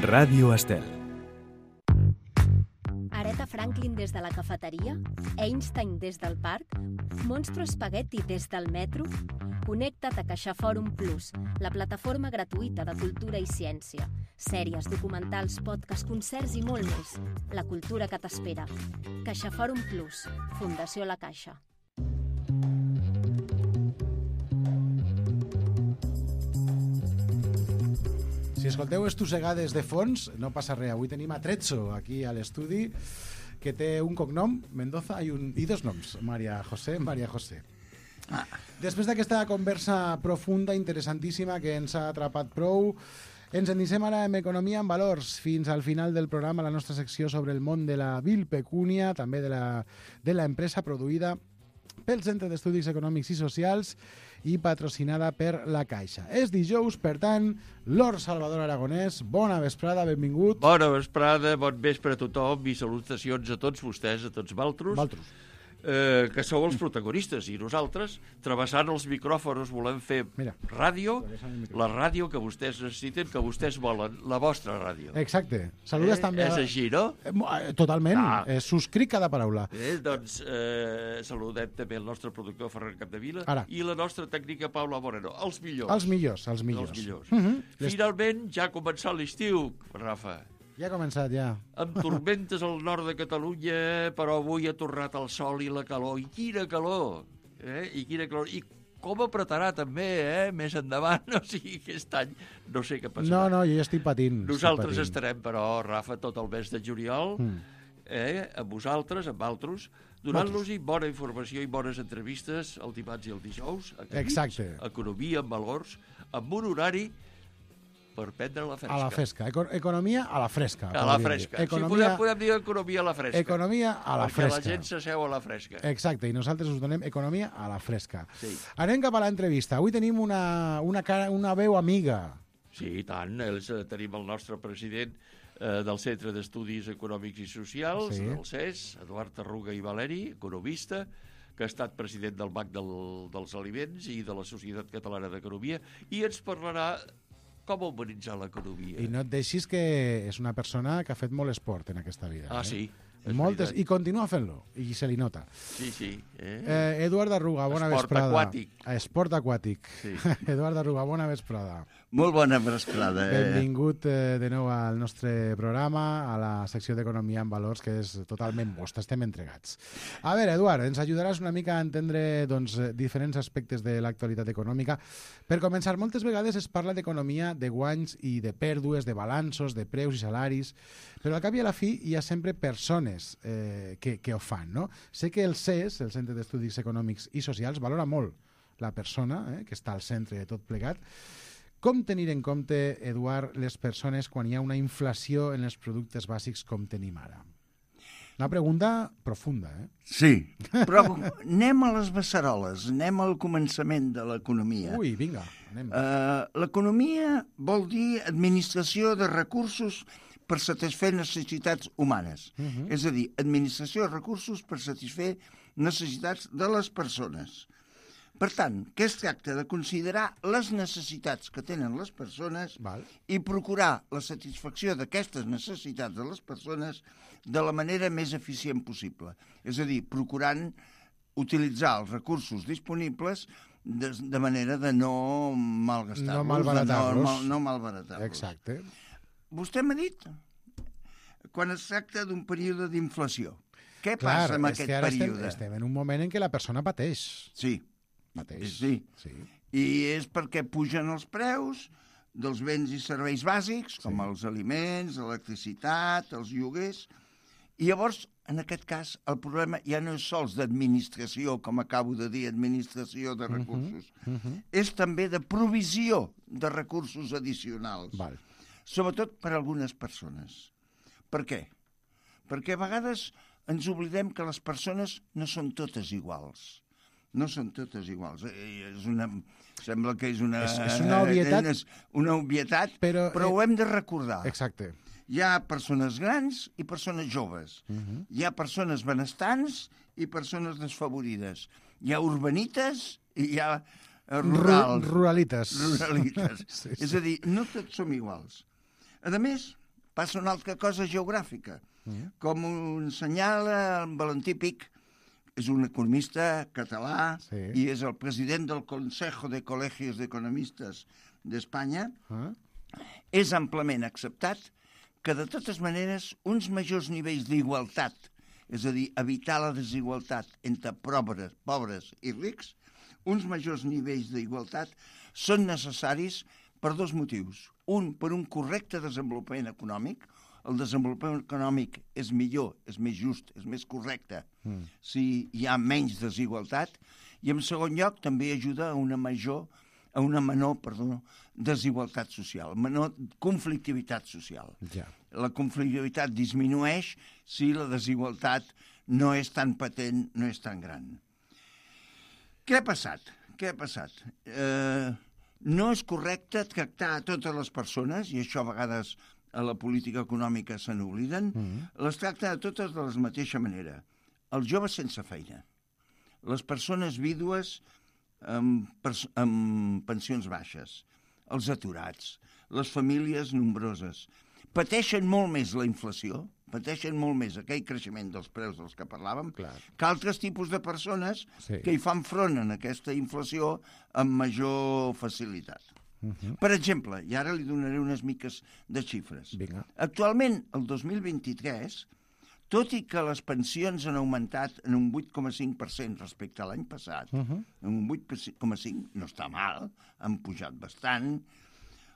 Ràdio Estel. Aretha Franklin des de la cafeteria? Einstein des del parc? Monstro Spaghetti des del metro? Connecta't a CaixaForum Plus, la plataforma gratuïta de cultura i ciència. Sèries, documentals, podcasts, concerts i molt més. La cultura que t'espera. CaixaForum Plus, Fundació La Caixa. Si escolteu estossegades de fons, no passa res. Avui tenim a Trezzo, aquí a l'estudi, que té un cognom, Mendoza, i dos noms, Maria José. Després d'aquesta conversa profunda, interessantíssima, que ens ha atrapat prou, ens endinsem ara en Economia en Valors. Fins al final del programa, la nostra secció sobre el món de la vil pecúnia, també de la empresa produïda pel Centre d'Estudis Econòmics i Socials i patrocinada per La Caixa. És dijous, per tant, Lord Salvador Aragonès, bona vesprada, benvingut. Bona vesprada, bon vespre a tothom i salutacions a tots vostès, a tots valtros. Que sou els protagonistes i nosaltres, travessant els micròfons, volem fer ràdio, la ràdio que vostès necessiten, que vostès volen, la vostra ràdio. Exacte. Saludes també... És així, no? Totalment. Subscric cada paraula. Doncs saludem també el nostre productor Ferran Capdevila i la nostra tècnica Paula Moreno. Els millors. Els millors. Finalment ja ha començat l'estiu, Rafa. Ja ha començat, ja. Amb tormentes al nord de Catalunya, però avui ha tornat el sol i la calor. I quina calor! I com apretarà també, més endavant. O sigui, aquest any no sé què passarà. No, jo ja estic patint. Nosaltres estarem, però, Rafa, tot el mes de juliol, amb vosaltres, amb altres, donant-los-hi bona informació i bones entrevistes el dimarts i el dijous. Exacte. Economia en valors, amb un horari per prendre la fresca. A la fresca. Economia a la fresca. A la fresca. Economia... Si podem dir economia a la fresca. Economia a la fresca. Perquè la gent s'asseu a la fresca. Exacte, i nosaltres us donem economia a la fresca. Sí. Anem cap a l'entrevista. Avui tenim una veu amiga. Sí, i tant. Tenim el nostre president del Centre d'Estudis Econòmics i Socials, del CES, Eduard Arruga i Valeri, economista, que ha estat president del Banc dels Aliments i de la Societat Catalana d'Economia, i ens parlarà com humanitzar l'economia. I no et deixis que és una persona que ha fet molt esport en aquesta vida. Sí. Moltes, i continua fent-lo, i se li nota. Sí. Eduard Arruga, bona vesprada. Esport aquàtic. Sí. Eduard Arruga, bona vesprada. Molt bona vesprada. Benvingut de nou al nostre programa, a la secció d'Economia en Valors, que és totalment vostra, estem entregats. A veure, Eduard, ens ajudaràs una mica a entendre diferents aspectes de l'actualitat econòmica. Per començar, moltes vegades es parla d'economia, de guanys i de pèrdues, de balanços, de preus i salaris, però al cap i a la fi hi ha sempre persones que ho fan, no? Sé que el CES, el Centre d'Estudis Econòmics i Socials, valora molt la persona que està al centre de tot plegat. Com tenir en compte, Eduard, les persones quan hi ha una inflació en els productes bàsics com tenim ara? Una pregunta profunda, Sí, però anem a les beceroles, anem al començament de l'economia. Ui, vinga, anem. L'economia vol dir administració de recursos per satisfer necessitats humanes. És a dir, administració de recursos per satisfer necessitats de les persones. Per tant, què es tracta? De considerar les necessitats que tenen les persones i procurar la satisfacció d'aquestes necessitats de les persones de la manera més eficient possible. És a dir, procurant utilitzar els recursos disponibles de manera de no malgastar-los. No malbaratar-los. No malbaratar-los. Exacte. Vostè m'ha dit quan es tracta d'un període d'inflació. Què passa amb aquest període? Estem en un moment en què la persona pateix. Sí. Sí. I és perquè pugen els preus dels béns i serveis bàsics, com els aliments, l'electricitat, els lloguers, i llavors, en aquest cas, el problema ja no és sols d'administració, com acabo de dir, administració de recursos, és també de provisió de recursos addicionals, sobretot per a algunes persones. Per què? Perquè a vegades ens oblidem que les persones no són totes iguals. No són totes iguals. Sembla que és una obvietat, però ho hem de recordar. Exacte. Hi ha persones grans i persones joves. Hi ha persones benestants i persones desfavorides. Hi ha urbanites i hi ha Ruralites. Sí. És a dir, no tots som iguals. A més, passa una altra cosa geogràfica. Com ho assenyala el Valentí Pic, és un economista català i és el president del Consejo de Colegios de Economistes d'Espanya, és amplament acceptat que, de totes maneres, uns majors nivells d'igualtat, és a dir, evitar la desigualtat entre pobres i rics, uns majors nivells d'igualtat són necessaris per dos motius. Un, per un correcte desenvolupament econòmic. El desenvolupament econòmic és millor, és més just, és més correcte si hi ha menys desigualtat. I, en segon lloc, també ajuda a una menor desigualtat social, menor conflictivitat social. Ja. La conflictivitat disminueix si la desigualtat no és tan patent, no és tan gran. Què ha passat? No és correcte tractar a totes les persones, i això a vegades a la política econòmica se n'obliden, les tracta a totes de la mateixa manera. Els joves sense feina, les persones vídues amb pensions baixes, els aturats, les famílies nombroses, pateixen molt més la inflació, pateixen molt més aquell creixement dels preus dels que parlàvem, que altres tipus de persones que hi fan front a aquesta inflació amb major facilitat. Per exemple, i ara li donaré unes miques de xifres. Actualment, el 2023, tot i que les pensions han augmentat en un 8,5% respecte a l'any passat, en un 8,5% no està mal, han pujat bastant,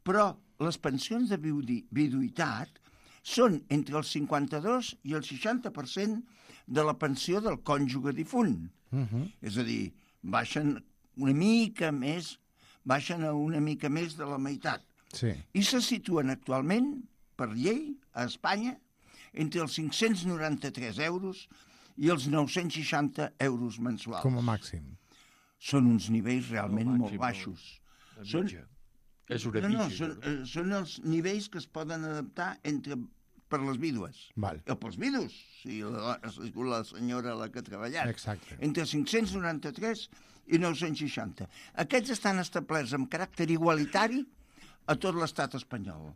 però les pensions de viduïtat són entre el 52 i el 60% de la pensió del cònjuge difunt. És a dir, baixen a una mica més de la meitat. I se situen actualment, per llei, a Espanya, entre els 593 euros i els 960 euros mensuals. Com a màxim. Són uns nivells realment molt baixos. És una mitja. Són els nivells que es poden adaptar per les vídues. O pels vidus, si la senyora la que ha treballat. Exacte. Entre 593 i 960. Aquests estan establerts amb caràcter igualitari a tot l'estat espanyol.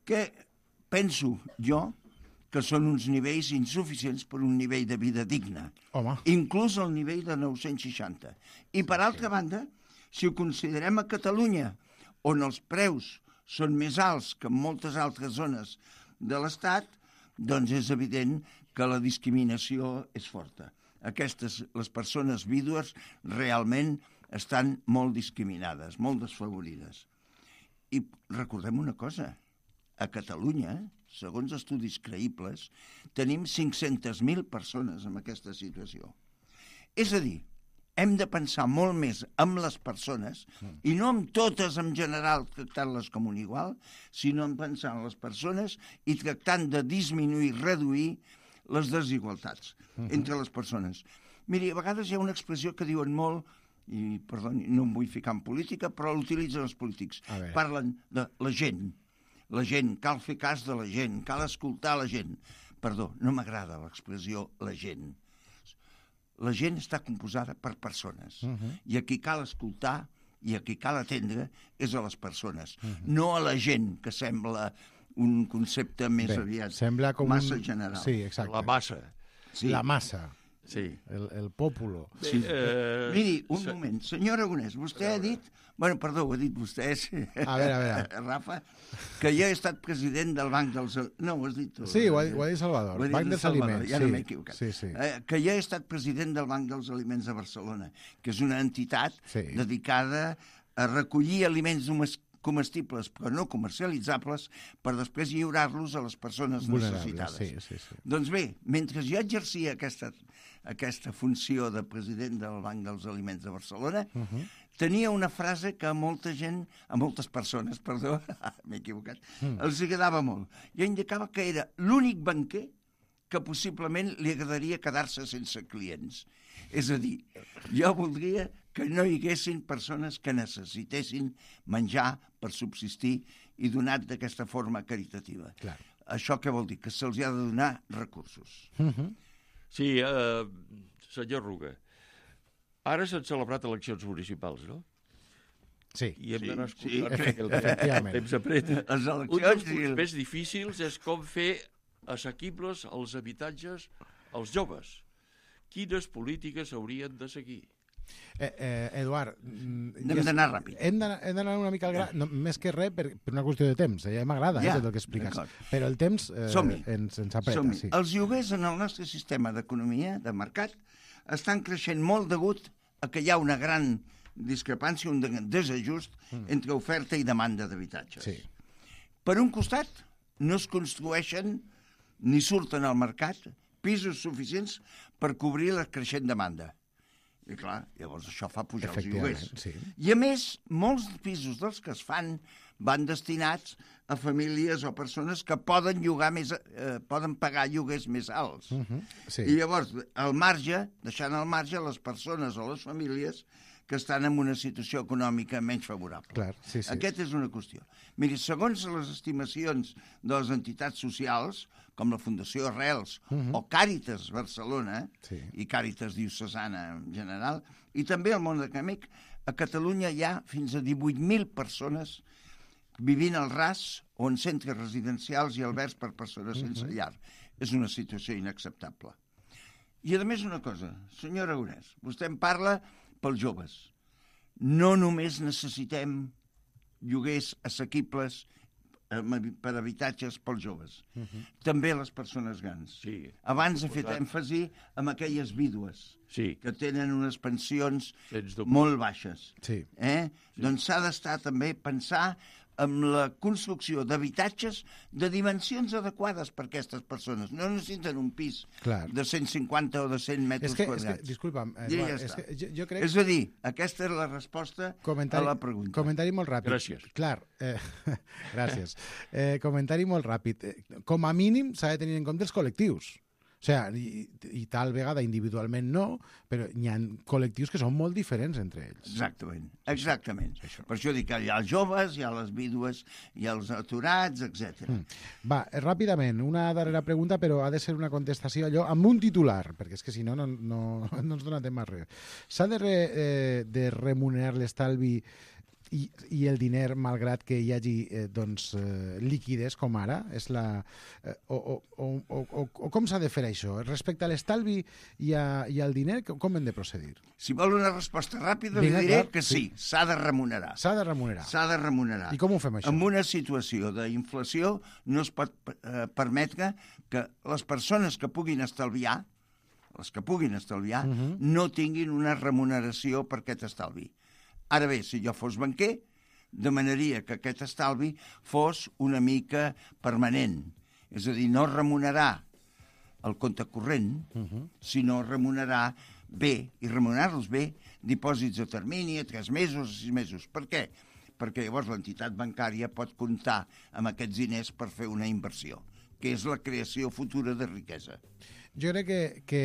Que penso jo que són uns nivells insuficients per un nivell de vida digne. Inclús el nivell de 960. I per altra banda, si ho considerem a Catalunya, on els preus són més alts que en moltes altres zones de l'Estat, doncs és evident que la discriminació és forta. Les persones vídues realment estan molt discriminades, molt desfavorides. I recordem una cosa, a Catalunya, segons estudis creïbles, tenim 500.000 persones en aquesta situació. És a dir, hem de pensar molt més en les persones, i no en totes en general tractant-les com un igual, sinó en pensar en les persones i tractant de disminuir, reduir les desigualtats entre les persones. Miri, a vegades hi ha una expressió que diuen molt, i perdoni, no em vull ficar en política, però l'utilitzen els polítics. Parlen de la gent. La gent, cal fer cas de la gent, cal escoltar la gent. Perdó, no m'agrada l'expressió la gent. La gent està composada per persones. I a qui cal escoltar i a qui cal atendre és a les persones. No a la gent, que sembla un concepte més aviat massa general. Sí, exacte. La massa. La massa. Sí. El pòpulo. Miri, un moment. Senyor Aragonès, vostè ha dit... Bueno, perdó, ho ha dit vostè, a veure. Rafa, que jo he estat president del Banc dels... No, ho has dit tu. Sí, ho ha dit Salvador. Banc dels Aliments. Ja no m'he equivocat. Que jo he estat president del Banc dels Aliments de Barcelona, que és una entitat dedicada a recollir aliments comestibles però no comercialitzables per després lliurar-los a les persones necessitades. Doncs bé, mentre jo exercia aquesta funció de president del Banc dels Aliments de Barcelona, tenia una frase que a moltes persones, perdó, m'he equivocat, els agradava molt. Jo indicava que era l'únic banquer que possiblement li agradaria quedar-se sense clients. És a dir, jo voldria que no hi haguessin persones que necessitessin menjar per subsistir i donat d'aquesta forma caritativa. Això què vol dir? Que se'ls ha de donar recursos. Sí, senyor Ruga, ara s'han celebrat eleccions municipals, no? Sí. I hem d'anar escoltant. Efectivament. El temps apreta. Les Un dels eleccions... punts més difícils és com fer assequibles els habitatges als joves. Quines polítiques haurien de seguir? Eduard... Hem d'anar ràpid. Hem d'anar una mica al gra, no, més que res per una qüestió de temps. Ja m'agrada tot el que expliques. Però el temps ens apreta. Sí. Els lloguers en el nostre sistema d'economia, de mercat, estan creixent molt degut a que hi ha una gran discrepància, un desajust entre oferta i demanda d'habitatges. Sí. Per un costat, no es construeixen ni surten al mercat pisos suficients per cobrir la creixent demanda. I clar, llavors això fa pujar els lloguers. Sí. I a més, molts pisos dels que es fan van destinats a famílies o persones que poden poden pagar lloguers més alts. Sí. I llavors, al marge, deixant al marge les persones o les famílies que estan en una situació econòmica menys favorable. Clar, sí. Aquesta és una qüestió. Miri, segons les estimacions de les entitats socials, com la Fundació Arrels o Càritas Barcelona i Càritas Diocesana en general, i també el món acadèmic, a Catalunya hi ha fins a 18.000 persones vivint al ras o en centres residencials i albergs per persones sense llar. És una situació inacceptable. I a més una cosa, senyor Aragonès, vostè en parla pels joves. No només necessitem lloguers assequibles per habitatges pels joves. També les persones grans. Sí. Abans he fet èmfasi en aquelles vídues que tenen unes pensions molt baixes. Sí. Doncs s'ha d'estar també pensar amb la construcció d'habitatges de dimensions adequades per a aquestes persones. No necessiten un pis de 150 o de 100 metres quadrats. Disculpa'm, Eduard, jo crec... És a dir, aquesta és la resposta a la pregunta. Comentari molt ràpid. Gràcies. Clar, gràcies. Comentari molt ràpid. Com a mínim s'ha de tenir en compte els col·lectius. O sigui, i tal vegada individualment no, però hi ha col·lectius que són molt diferents entre ells. Exactament. Per això dic que hi ha els joves, hi ha les vídues, hi ha els aturats, etc. Va, ràpidament, una darrera pregunta, però ha de ser una contestació allò amb un titular, perquè és que si no ens dona temps a res. S'ha de remunerar l'estalvi i el diner, malgrat que hi hagi liquides, com ara? O com s'ha de fer això? Respecte a l'estalvi i al diner, com hem de procedir? Si vol una resposta ràpida, li diré que sí, s'ha de remunerar. S'ha de remunerar. S'ha de remunerar. I com ho fem, això? En una situació d'inflació no es pot permetre que les persones que puguin estalviar, no tinguin una remuneració per aquest estalvi. Ara bé, si jo fos banquer, demanaria que aquest estalvi fos una mica permanent. És a dir, no remunerar el compte corrent, sinó remunerar bé, i remunerar-los bé, dipòsits a termini, a 3 mesos, a 6 mesos. Per què? Perquè llavors l'entitat bancària pot comptar amb aquests diners per fer una inversió, que és la creació futura de riquesa. Jo crec que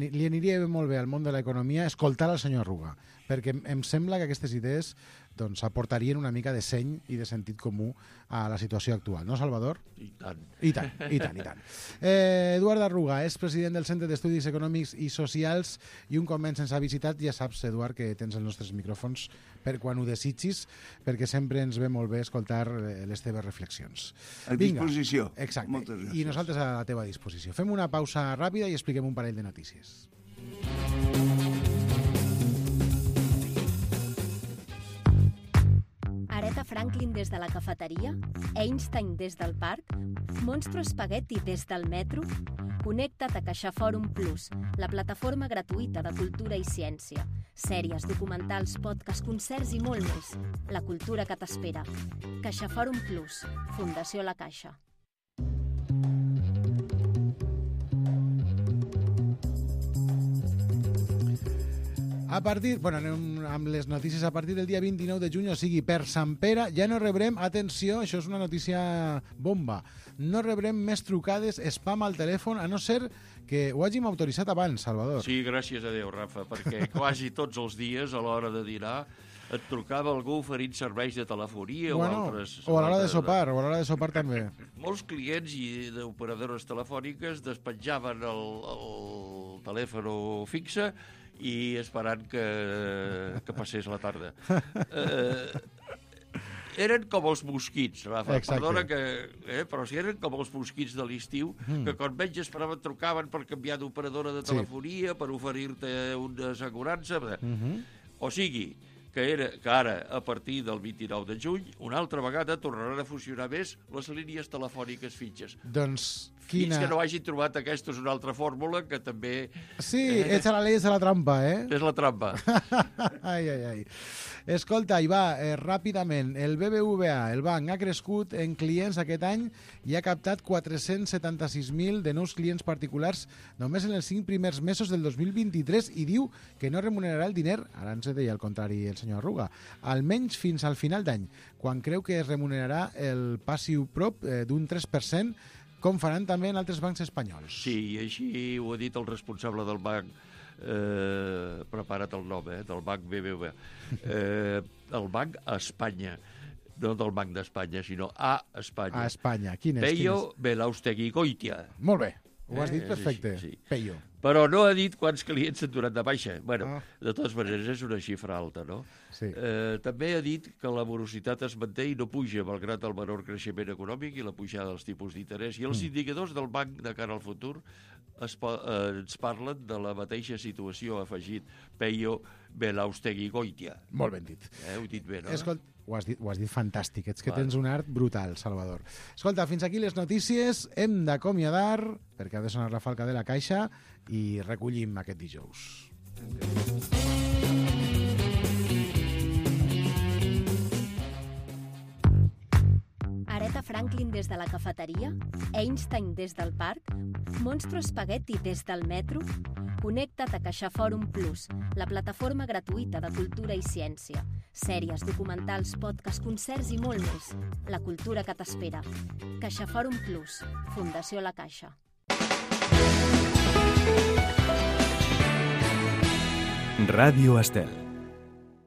li aniria molt bé al món de l'economia escoltar el senyor Ruga, perquè em sembla que aquestes idees aportarien una mica de seny i de sentit comú a la situació actual. No, Salvador? I tant. I tant. Eduard Arruga és president del Centre d'Estudis Econòmics i Socials i un cop més ens ha visitat. Ja saps, Eduard, que tens els nostres micròfons per quan ho desitgis, perquè sempre ens ve molt bé escoltar les teves reflexions. A disposició. Exacte. Moltes gràcies. I nosaltres a la teva disposició. Fem una pausa ràpida i expliquem un parell de notícies. Aretha Franklin des de la cafeteria? Einstein des del parc? Monstro Spaghetti des del metro? Connecta't a CaixaForum Plus, la plataforma gratuïta de cultura i ciència. Sèries, documentals, podcasts, concerts i molt més. La cultura que t'espera. CaixaForum Plus, Fundació La Caixa. Anem amb les notícies. A partir del dia 29 de juny, o sigui, per Sant Pere, ja no rebrem, atenció, això és una notícia bomba, no rebrem més trucades spam al telèfon, a no ser que ho hàgim autoritzat abans, Salvador. Sí, gràcies a Déu, Rafa, perquè quasi tots els dies, a l'hora de dinar, et trucava algú oferint serveis de telefonia o altres... O a l'hora de sopar, també. Molts clients i d'operadores telefòniques despenjaven el telèfon fixe i esperant que passés la tarda. Eren com els mosquits, Rafa. Exacte. Perdona però si eren com els mosquits de l'estiu, que quan menys esperaven trucaven per canviar d'operadora de telefonia, per oferir-te una assegurança. O sigui, que ara, a partir del 29 de juny, una altra vegada tornaran a funcionar més les línies telefòniques fitxes. Doncs fins que no hagin trobat aquesta és una altra fórmula que també... Sí, echa la ley, echa la trampa, És la trampa. Ai. Escolta, i va, ràpidament, el BBVA, el banc, ha crescut en clients aquest any i ha captat 476.000 de nous clients particulars només en els 5 primers mesos del 2023 i diu que no remunerarà el diner, ara ens deia el contrari el senyor Arruga, almenys fins al final d'any, quan creu que es remunerarà el passiu prop d'un 3%, com faran també en altres bancs espanyols. Sí, i així ho ha dit el responsable del banc, prepara't el nom, del banc BBVA. El banc a Espanya, no del Banc d'Espanya, sinó a Espanya. A Espanya, quin és? Peyo Belaustegui-Goitia. Molt bé, ho has dit perfecte, sí. Peyo. Però no ha dit quants clients s'han donat de baixa. Bueno, de totes maneres és una xifra alta, no? Sí. També ha dit que la morositat es manté i no puja, malgrat el menor creixement econòmic i la pujada dels tipus d'interès. I els indicadors del banc de cara al futur ens parlen de la mateixa situació, ha afegit Peyo Belaustegui-Goitia. Molt ben dit. Ho he dit bé, no? Escolta, ho has dit fantàstic. Ets que tens un art brutal, Salvador. Escolta, fins aquí les notícies. Hem d'acomiadar, perquè ha de sonar la falca de la caixa, i recollim aquest dijous. Aretha Franklin des de la cafeteria, Einstein des del parc, Monstro Spaghetti des del metro. Connecta't a CaixaForum Plus, la plataforma gratuïta de cultura i ciència. Sèries, documentals, podcasts, concerts i molt més. La cultura que t'espera. CaixaForum Plus, Fundació La Caixa. Radio Estel.